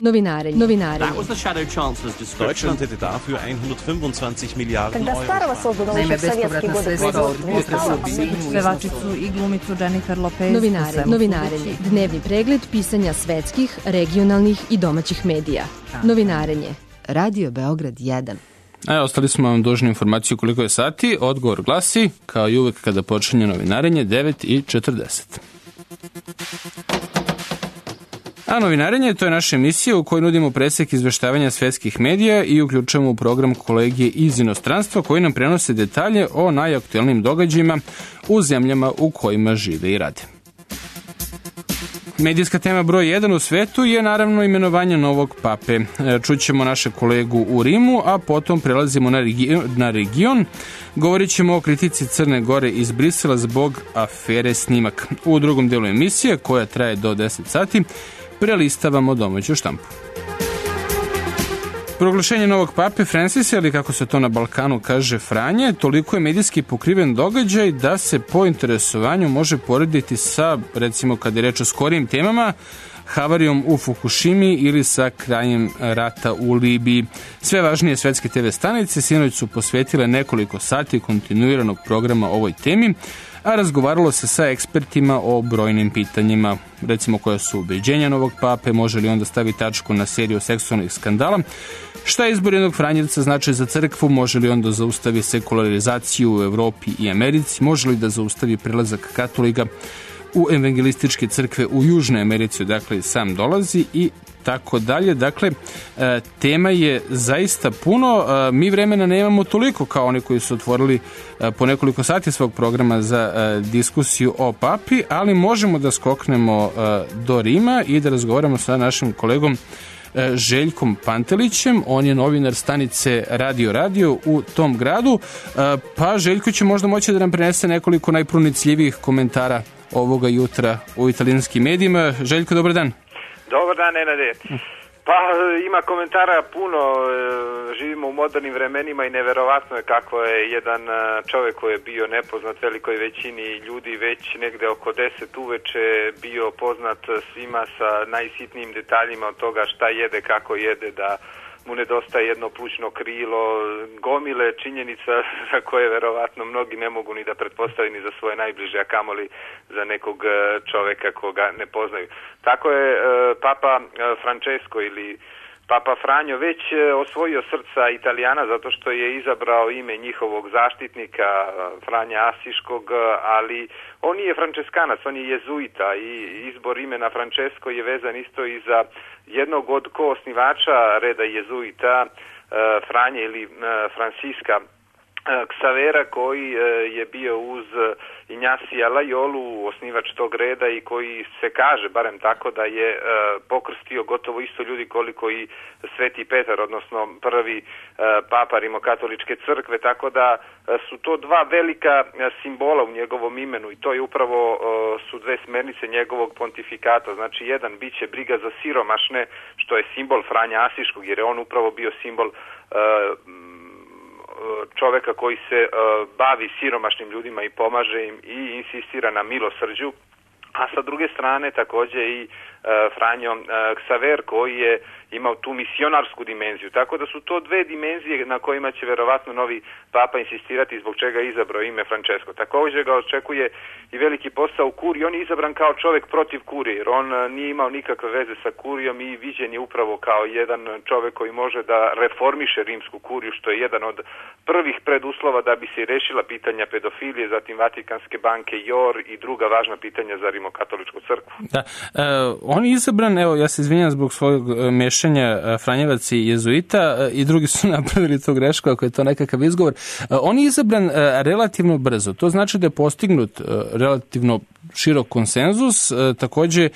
Novinarenje. Deutschland hätte dafür 125 Miliarden Euro. Naime, bespovratna sredstva od pevačicu i glumicu Jennifer Lopez. Novinarenje. Dnevni pregled pisanja svetskih, regionalnih i domaćih medija. Novinarenje. Radio Beograd 1. Ostali smo vam dužni informaciju koliko je sati. Odgovor glasi, kao i uvek kada počinje novinarenje, 9:40. A novinarenje, to je naša emisija u kojoj nudimo presek izveštavanja svetskih medija i uključujemo u program kolegije iz inostranstva koji nam prenose detalje o najaktuelnijim događajima u zemljama u kojima žive i rade. Medijska tema broj 1 u svetu je naravno imenovanje novog pape. Čućemo naše kolegu u Rimu, a potom prelazimo na region. Govorit ćemo o kritici Crne Gore iz Brisela zbog afere Snimak. U drugom delu emisije, koja traje do 10 sati, prelistavamo domaću štampu. Proglašenje novog pape Francisa, ili kako se to na Balkanu kaže Franje, toliko je medijski pokriven događaj da se po interesovanju može porediti sa, recimo kad je reč o skorijim temama, havarijom u Fukushimi ili sa krajem rata u Libiji. Sve važnije svetske TV stanice sinoć su posvetile nekoliko sati kontinuiranog programa ovoj temi, a razgovaralo se sa ekspertima o brojnim pitanjima, recimo koja su ubeđenja novog pape, može li onda staviti tačku na seriju seksualnih skandala, šta izbor jednog Franjevca znači za crkvu, može li onda zaustavi sekularizaciju u Evropi i Americi, može li da zaustavi prelazak katolika u evangelističke crkve u Južnoj Americi, odakle sam dolazi i tako dalje. Dakle, tema je zaista puno. Mi vremena nemamo toliko kao oni koji su otvorili po nekoliko sati svog programa za diskusiju o papi, ali možemo da skoknemo do Rima i da razgovaramo sa našim kolegom Željkom Pantelićem. On je novinar stanice Radio u tom gradu. Pa Željko će možda moći da nam prenese nekoliko najpronicljivijih komentara ovoga jutra u italijanskim medijima. Željko, dobar dan. Dobar dan, Nenade. Pa ima komentara puno, živimo u modernim vremenima i neverovatno je kako je jedan čovjek koji je bio nepoznat velikoj većini ljudi već negde oko 10 uveče bio poznat svima sa najsitnijim detaljima od toga šta jede, kako jede, da mu nedostaje jedno plućno krilo, gomile činjenica za koje verovatno mnogi ne mogu ni da pretpostavi ni za svoje najbliže, a kamoli za nekog čoveka koga ne poznaju. Tako je Papa Francesco ili Papa Franjo već osvojio srca Italijana zato što je izabrao ime njihovog zaštitnika Franja Asiškog, ali on nije Franceskanac, on je jezuita i izbor imena Francesco je vezan isto i za jednog od koosnivača reda jezuita Franje ili Fransiska Ksavera, koji je bio uz Injasija Lajolu, osnivač tog reda i koji se kaže, barem tako, da je pokrstio gotovo isto ljudi koliko i Sveti Petar, odnosno prvi papa Rimokatoličke crkve, tako da su to dva velika simbola u njegovom imenu i to je upravo su dve smernice njegovog pontifikata. Znači, jedan biće briga za siromašne, što je simbol Franja Asiškog, jer je on upravo bio simbol čoveka koji se bavi siromašnim ljudima i pomaže im i insistira na milosrđu, a sa druge strane takođe i Franjo Ksaver koji je imao tu misionarsku dimenziju. Tako da su to dve dimenzije na kojima će verovatno novi papa insistirati zbog čega je izabrao ime Francesco. Također ga očekuje i veliki posao u kuriji. On je izabran kao čovjek protiv kurije, jer on nije imao nikakve veze sa kurijom i viđen je upravo kao jedan čovjek koji može da reformiše rimsku kuriju, što je jedan od prvih preduslova da bi se rešila pitanja pedofilije, zatim Vatikanske banke JOR i druga važna pitanja za Rimokatoličku crkvu. Da, on je izabran, evo ja se izvinjam zbog svojeg mešanja Franjevac i jezuita i drugi su napravili tu grešku ako je to nekakav izgovor. On je izabran relativno brzo, to znači da je postignut relativno širok konsenzus, takođe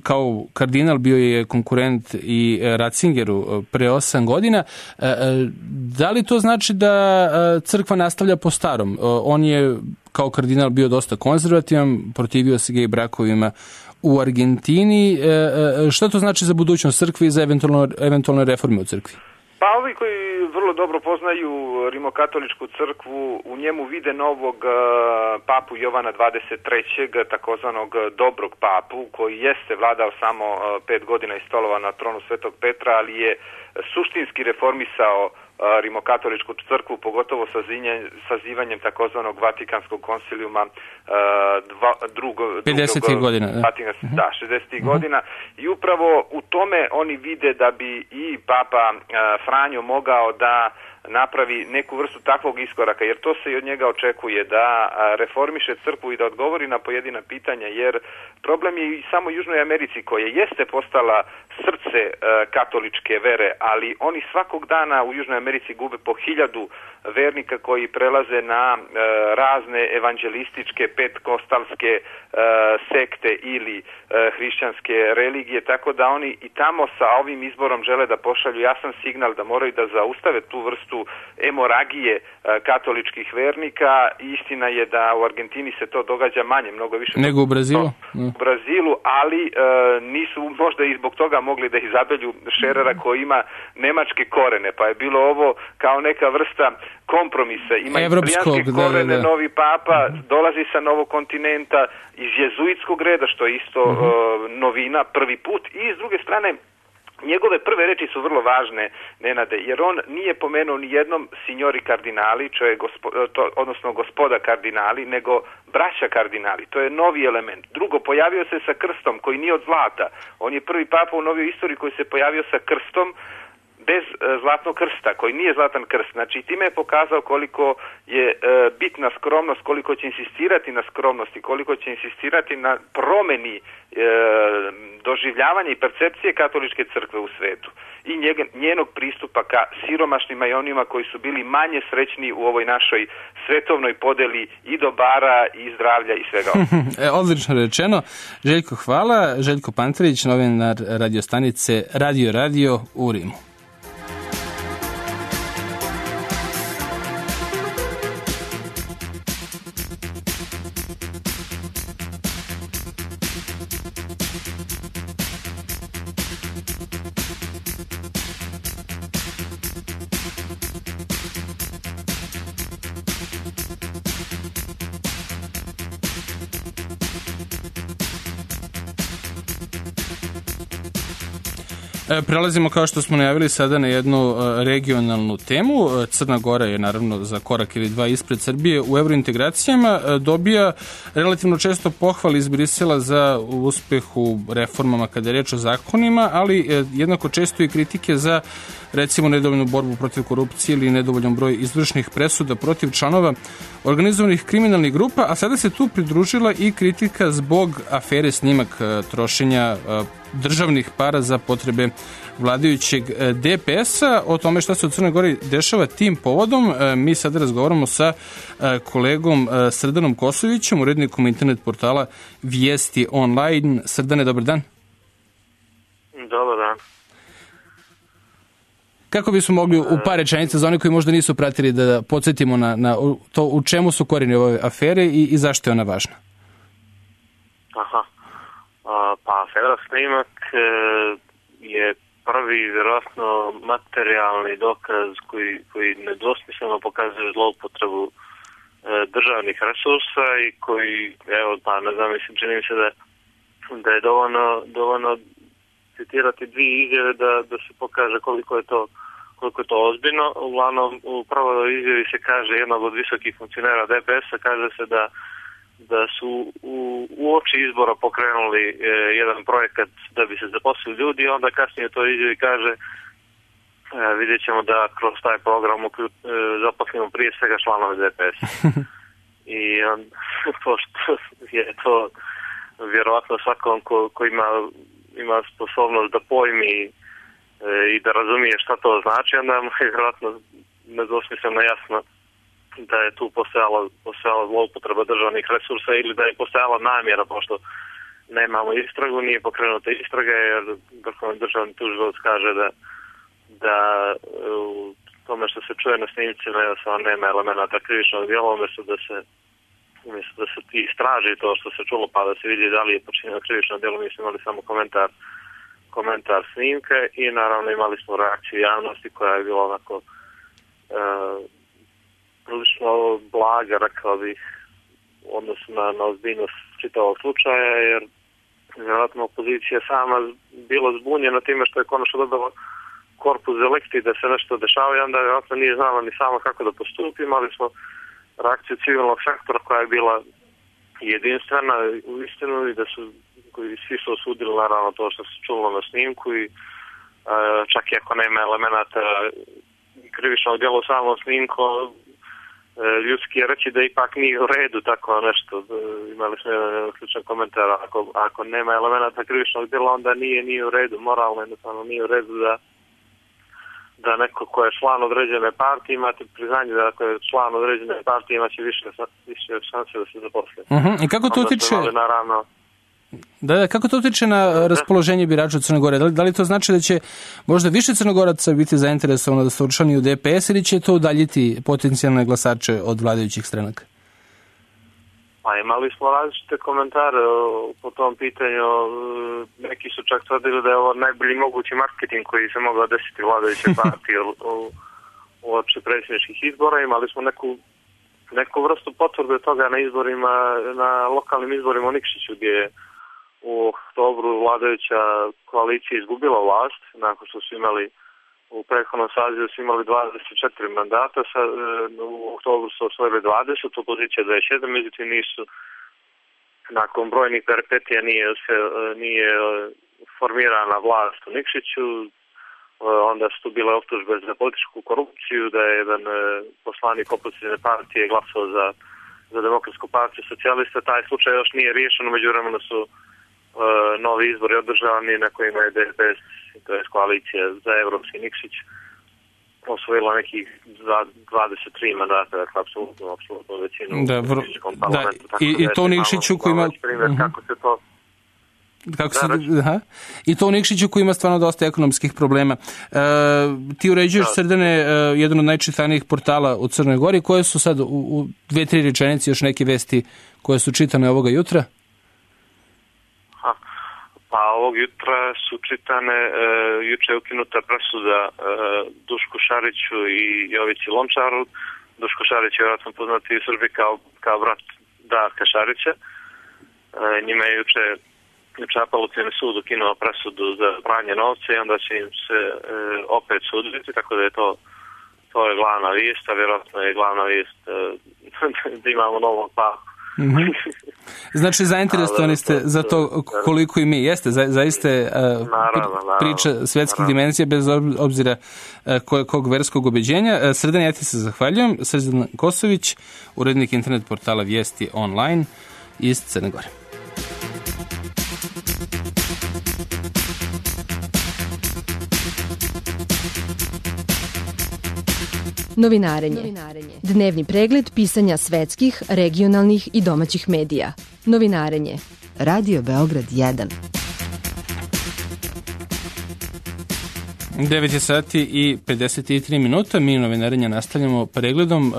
kao kardinal bio je konkurent i Ratzingeru pre 8 godina. Da li to znači da crkva nastavlja po starom? On je kao kardinal bio dosta konzervativan, protivio se gej brakovima u Argentini. Što to znači za budućnost crkve i za eventualne reforme u crkvi? Pa ovi koji vrlo dobro poznaju rimokatoličku crkvu, u njemu vide novog papu Jovana 23. takozvanog dobrog papu, koji jeste vladao samo 5 godina i stolovao na tronu Svetog Petra, ali je suštinski reformisao rimokatoličku crkvu, pogotovo sazivanjem takozvanog Vatikanskog konsilijuma 50. godina. Da, 60. godina. I upravo u tome oni vide da bi i Papa Franjo mogao da napravi neku vrstu takvog iskoraka, jer to se i od njega očekuje, da reformiše crkvu i da odgovori na pojedina pitanja, jer problem je i samo u Južnoj Americi, koja jeste postala srce katoličke vere, ali oni svakog dana u Južnoj Americi gube po 1000 vernika koji prelaze na razne evanđelističke, petkostalske sekte ili hrišćanske religije, tako da oni i tamo sa ovim izborom žele da pošalju jasan signal da moraju da zaustave tu vrstu emoragije katoličkih vernika. Istina je da u Argentini se to događa manje, mnogo više nego u Brazilu. U Brazilu, ali nisu možda i zbog toga mogli da izabelju Šerera koji ima nemačke korene, pa je bilo ovo kao neka vrsta kompromisa. Ima italijanske korene, novi papa, dolazi sa novog kontinenta, iz jezuitskog reda, što je isto novina, prvi put, i s druge strane njegove prve reči su vrlo važne, Nenade, jer on nije pomenuo ni jednom signori kardinali, odnosno gospoda kardinali, nego braća kardinali. To je novi element. Drugo, pojavio se sa krstom koji nije od zlata. On je prvi papa u novoj istoriji koji se pojavio sa krstom bez zlatnog krsta, koji nije zlatan krst. Znači, time je pokazao koliko je bitna skromnost, koliko će insistirati na skromnosti, koliko će insistirati na promeni doživljavanja i percepcije katoličke crkve u svetu i njenog pristupa ka siromašnima i onima koji su bili manje srećni u ovoj našoj svetovnoj podeli i dobara i zdravlja i svega. Odlično rečeno. Željko, hvala. Željko Panterić, novinar radiostanice Radio u Rimu. Prelazimo, kao što smo najavili, sada na jednu regionalnu temu. Crna Gora je naravno za korak ili dva ispred Srbije u evrointegracijama. Dobija relativno često pohvali iz Brisela za uspeh u reformama kada je reč o zakonima, ali jednako često i kritike za, recimo, nedovoljnu borbu protiv korupcije ili nedovoljan broj izvršnih presuda protiv članova organizovanih kriminalnih grupa, a sada se tu pridružila i kritika zbog afere snimak trošenja državnih para za potrebe vladajućeg DPS-a. O tome šta se u Crnoj Gori dešava tim povodom mi sada razgovaramo sa kolegom Srdanom Kosovićem, urednikom internet portala Vijesti online. Srdane, dobar dan. Dobar dan. Kako bismo mogli u par rečenica za one koji možda nisu pratili da podsjetimo na to u čemu su korijeni ove afere i zašto je ona važna? Aha. Pa afera snimak je prvi vjerojatno materijalni dokaz koji nedvosmisleno pokazuje zloupotrebu državnih resursa i koji, evo, pa ne znam, mislim, čini mi se da je dovoljno citirati dvije izjave da se pokaže koliko je to ozbiljno. Uglavnom, u prvoj izjavi se kaže jednog od visokih funkcionera DPS-a, kaže se da su u oči izbora pokrenuli jedan projekat da bi se zaposlili ljudi, i onda kasnije to izjavi kaže vidjet ćemo da kroz taj program zaposlimo prije svega članove DPS-a. I pošto je to vjerovatno svakom ko ima sposobnost da pojmi i da razumije šta to znači, onda je vjerojatno nedvosmisleno jasno da je tu postojala zloupotreba državnih resursa ili da je postojala namjera, pošto nemamo istragu, nije pokrenuta istraga, jer Vrhovni državni tužilac kaže da u tome što se čuje na snimcima nema elemenata krivičnog djela, umjesto da se istraži to što se čulo pa da se vidi da li je počinjeno krivično djelo. Mi smo imali samo komentar komentar snimke i naravno imali smo reakciju javnosti koja je bila onako prilično blaga, rekao bih, u odnosu na ozbiljnost čitavog slučaja, jer vjerojatno opozicija sama bila zbunjena time što je konačno dobila korpus delikti da se nešto dešava i onda vjerojatno nije znala ni sama kako da postupi. Imali smo reakciju civilnog sektora koja je bila jedinstvena u istinu i da su svi su osudili naravno to što se čulo na snimku i čak i ako nema elemenata krivičnog djela u samom snimku, ljudski je reći da ipak nije u redu tako nešto. Imali smo jedan ključan komentar, ako nema elemenata krivičnog djela onda nije u redu, moralno jednostavno nije u redu da neko ko je član određene partije imate priznanje da ako je član određene partije imaće više šanse da se zaposli. I kako to utiče? Kako to utiče na raspoloženje birača u Crnoj Gori? Da li to znači da će možda više Crnogoraca biti zainteresovano da se učlani u DPS ili će to udaljiti potencijalne glasače od vladajućih stranaka? Pa imali smo različite komentare po tom pitanju. Neki su čak tvrdili da je ovo najbolji mogući marketing koji se mogao desiti vladajuće partije uoči predsjedničkih izbora. Imali smo neku vrstu potvrde toga na izborima, na lokalnim izborima u Nikšiću gdje je u oktobru vladajuća koalicija izgubila vlast, nakon što su imali u prethodnom sazivu su imali 24 mandata, u oktobru su osvojili 20, opozicija 27, međutim nisu, nakon brojnih peripetija nije formirana vlast u Nikšiću, onda su tu bile optužbe za političku korupciju, da je jedan poslanik opozicijne partije glasao za Demokratsku partiju socijalista. Taj slučaj još nije riješen, u međuvremenu su novi izbori održavani na kojima je DPS, to je koalicija za Evropski Nikšić, osvojila nekih 23 mandata, dakle apsolutno većinu u Nikšićkom parlamentu. I to u Nikšiću koji ima... Kako se to... I to u Nikšiću koji ima stvarno dosta ekonomskih problema. Ti uređuješ, Srdane, jedan od najčitanijih portala u Crnoj Gori. Koje su sad u 2-3 rečenici još neke vesti koje su čitane ovoga jutra? Pa ovog jutra su čitane, juče je ukinuta presuda Dušku Šariću i Jovici Lončaru. Duško Šarić je vjerojatno poznati u Srbiji kao brat Darka Šarića. Njima je juče Apelacioni sud ukinuo presudu za pranje novca i onda će im se opet suditi, tako da je to je glavna vijest, a vjerojatno je glavna vijest da imamo novog papa. Znači, zainteresovani ste za to koliko i mi jeste, zaista priča svetskih dimenzija bez obzira kog verskog ubeđenja. Srdan, ja ti se zahvaljujem. Srdan Kosović, urednik internet portala Vijesti online iz Crne Gore. Novinarenje. Dnevni pregled pisanja svetskih, regionalnih i domaćih medija. Novinarenje. Radio Beograd 1. 9 sati i 53 minuta. Mi novinarenja nastavljamo pregledom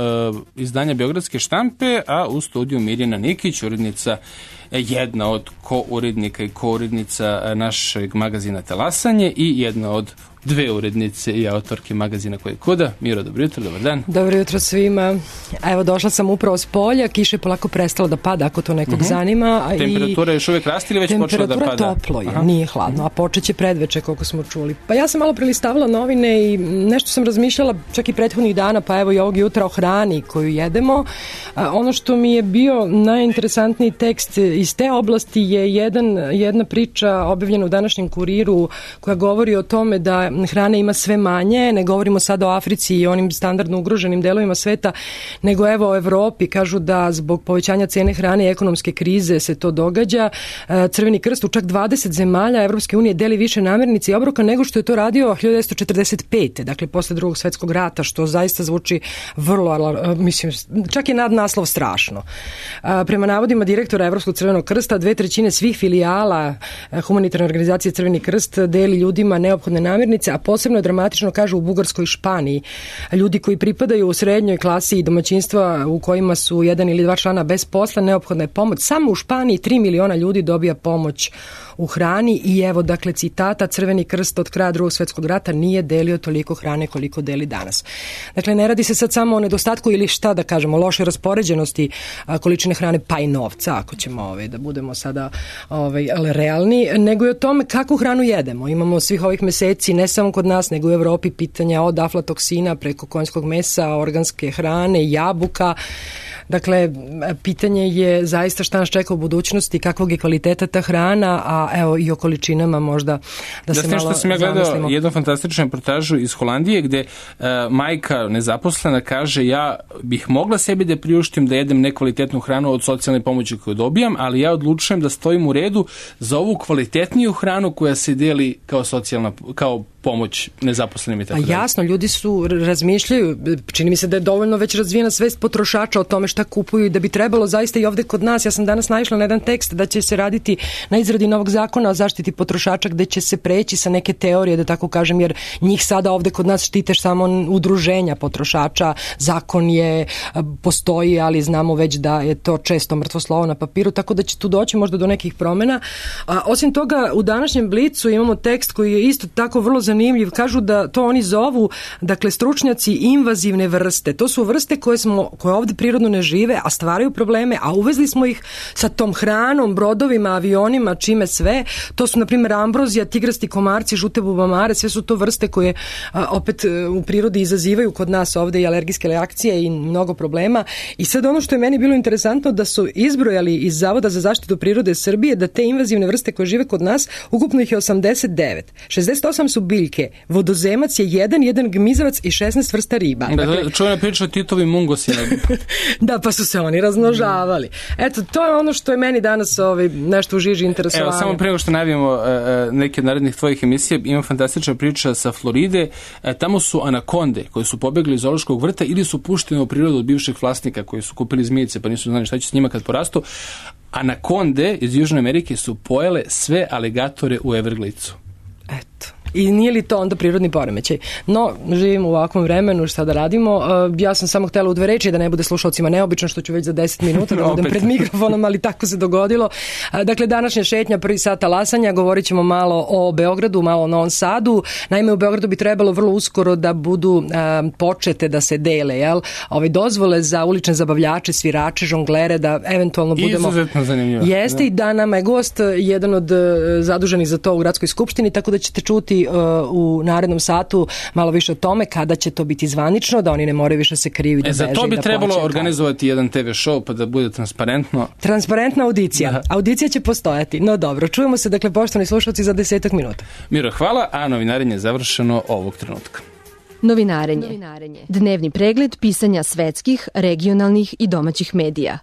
izdanja Beogradske štampe, a u studiju Mirjana Nikić, urednica, jedna od ko-urednika i ko-urednica našeg magazina Talasanje i jedna od dve urednice i autorke magazina Koje kuda. Miro, dobro jutro, dobar dan. Dobro jutro svima. Evo, došla sam upravo s polja, kiša je polako prestala da pada, ako to nekog zanima. Temperatura je još uvijek raste ili već počela da pada? Temperatura toplo je, nije hladno, a počet će predveče, koliko smo čuli. Pa ja sam malo prelistavala novine i nešto sam razmišljala čak i prethodnih dana, pa evo i ovog jutra o hrani koju jedemo. Ono što mi je bio najinteresantniji tekst iz te oblasti je jedna priča objavljena u današnjem Kuriru koja govori o tome da hrane ima sve manje, ne govorimo sad o Africi i onim standardno ugroženim delovima sveta, nego evo o Evropi, kažu da zbog povećanja cene hrane i ekonomske krize se to događa. Crveni krst u čak 20 zemalja Evropske unije deli više namirnica i obroka nego što je to radio 1945. Dakle, posle Drugog svjetskog rata, što zaista zvuči vrlo, mislim, čak je nadnaslov strašno. Prema navodima direktora Evropskog crvenog Crvenog krsta, 2/3 svih filijala humanitarne organizacije Crveni krst deli ljudima neophodne namirnice, a posebno je dramatično, kažu, u Bugarskoj i Španiji. Ljudi koji pripadaju u srednjoj klasi i domaćinstva u kojima su 1 ili 2 člana bez posla, neophodna je pomoć. Samo u Španiji 3 miliona ljudi dobija pomoć u hrani i evo, dakle, citata: Crveni krst od kraja Drugog svjetskog rata nije delio toliko hrane koliko deli danas. Dakle, ne radi se sad samo o nedostatku ili šta da kažemo, loše raspoređenosti količine hrane, pa i novca, ako ćemo da budemo sada realni, nego i o tome kakvu hranu jedemo. Imamo svih ovih meseci, ne samo kod nas, nego u Evropi, pitanja od aflatoksina preko konjskog mesa, organske hrane, jabuka. Dakle, pitanje je zaista šta nas čeka u budućnosti, kakvog je kvaliteta ta hrana, a evo i o količinama možda da se malo zamislimo. Što sam ja gledao jednu fantastičnu reportažu iz Holandije gde majka nezaposlena kaže: ja bih mogla sebi da priuštim da jedem nekvalitetnu hranu od socijalne pomoći koju dobijam, ali ja odlučujem da stojim u redu za ovu kvalitetniju hranu koja se deli kao socijalna, kao pomoć nezaposlenim i tako dalje. Jasno, ljudi su razmišljaju, čini mi se da je dovoljno već razvijena svest potrošača o tome šta kupuju i da bi trebalo zaista i ovde kod nas. Ja sam danas naišla na jedan tekst da će se raditi na izradi novog zakona o zaštiti potrošača gde će se preći sa neke teorije, da tako kažem, jer njih sada ovde kod nas štite samo udruženja potrošača. Zakon postoji, ali znamo već da je to često mrtvo slovo na papiru, tako da će tu doći možda do nekih promena. Osim toga, u današnjem Blicu imamo tekst koji je isto tako vrlo zanimljiv. Kažu da to oni zovu, dakle, stručnjaci, invazivne vrste. To su vrste koje ovde prirodno ne žive, a stvaraju probleme, a uvezli smo ih sa tom hranom, brodovima, avionima, čime sve. To su, na primjer, ambrozija, tigrasti komarci, žute bubamare, sve su to vrste koje opet u prirodi izazivaju kod nas ovde i alergijske reakcije i mnogo problema. I sad ono što je meni bilo interesantno, da su izbrojali iz Zavoda za zaštitu prirode Srbije da te invazivne vrste koje žive kod nas, ukupno ih je 89. 68 su biljke, vodozemac je jedan gmizavac i 16 vrsta riba. Dakle, čujena priča o Titovim mungosima. Da, pa su se oni razmnožavali. Eto, to je ono što je meni danas nešto u žiži interesovanja. Evo, samo prema što najavimo neke od narednih tvojih emisija, ima fantastična priča sa Floride. Tamo su anakonde koji su pobegli iz zoološkog vrta ili su pušteni u prirodu od bivših vlasnika koji su kupili zmijice pa nisu znali šta će s njima kad porastu. Anakonde iz Južne Amerike su pojele sve aligatore u Evergledesu. Eto. I nije li to onda prirodni poremećaj? No, živimo u ovakvom vremenu, šta da radimo. Ja sam samo htjela u 2 reči, da ne bude slušalcima neobično, što ću već za 10 minuta da budem pred mikrofonom, ali tako se dogodilo. Dakle, današnja šetnja, prvi sat talasanja, govorit ćemo malo o Beogradu, malo o Novom Sadu. Naime, u Beogradu bi trebalo vrlo uskoro da budu počete da se dele, dozvole za ulične zabavljače, svirače, žonglere, da eventualno budemo... Izuzetno zanimljivo. Jeste, i da nama je gost jedan od zaduženih za to u Gradskoj skupštini, tako da ćete čuti u narednom satu malo više o tome kada će to biti zvanično, da oni ne moraju više se krivi da beže. Za to bi trebalo organizovati jedan TV show pa da bude transparentno. Transparentna audicija. Da. Audicija će postojati. No dobro, čujemo se, dakle, poštovani slušalci, za 10 minuta. Miro, hvala, a novinarenje je završeno ovog trenutka. Novinarenje. Dnevni pregled pisanja svetskih, regionalnih i domaćih medija.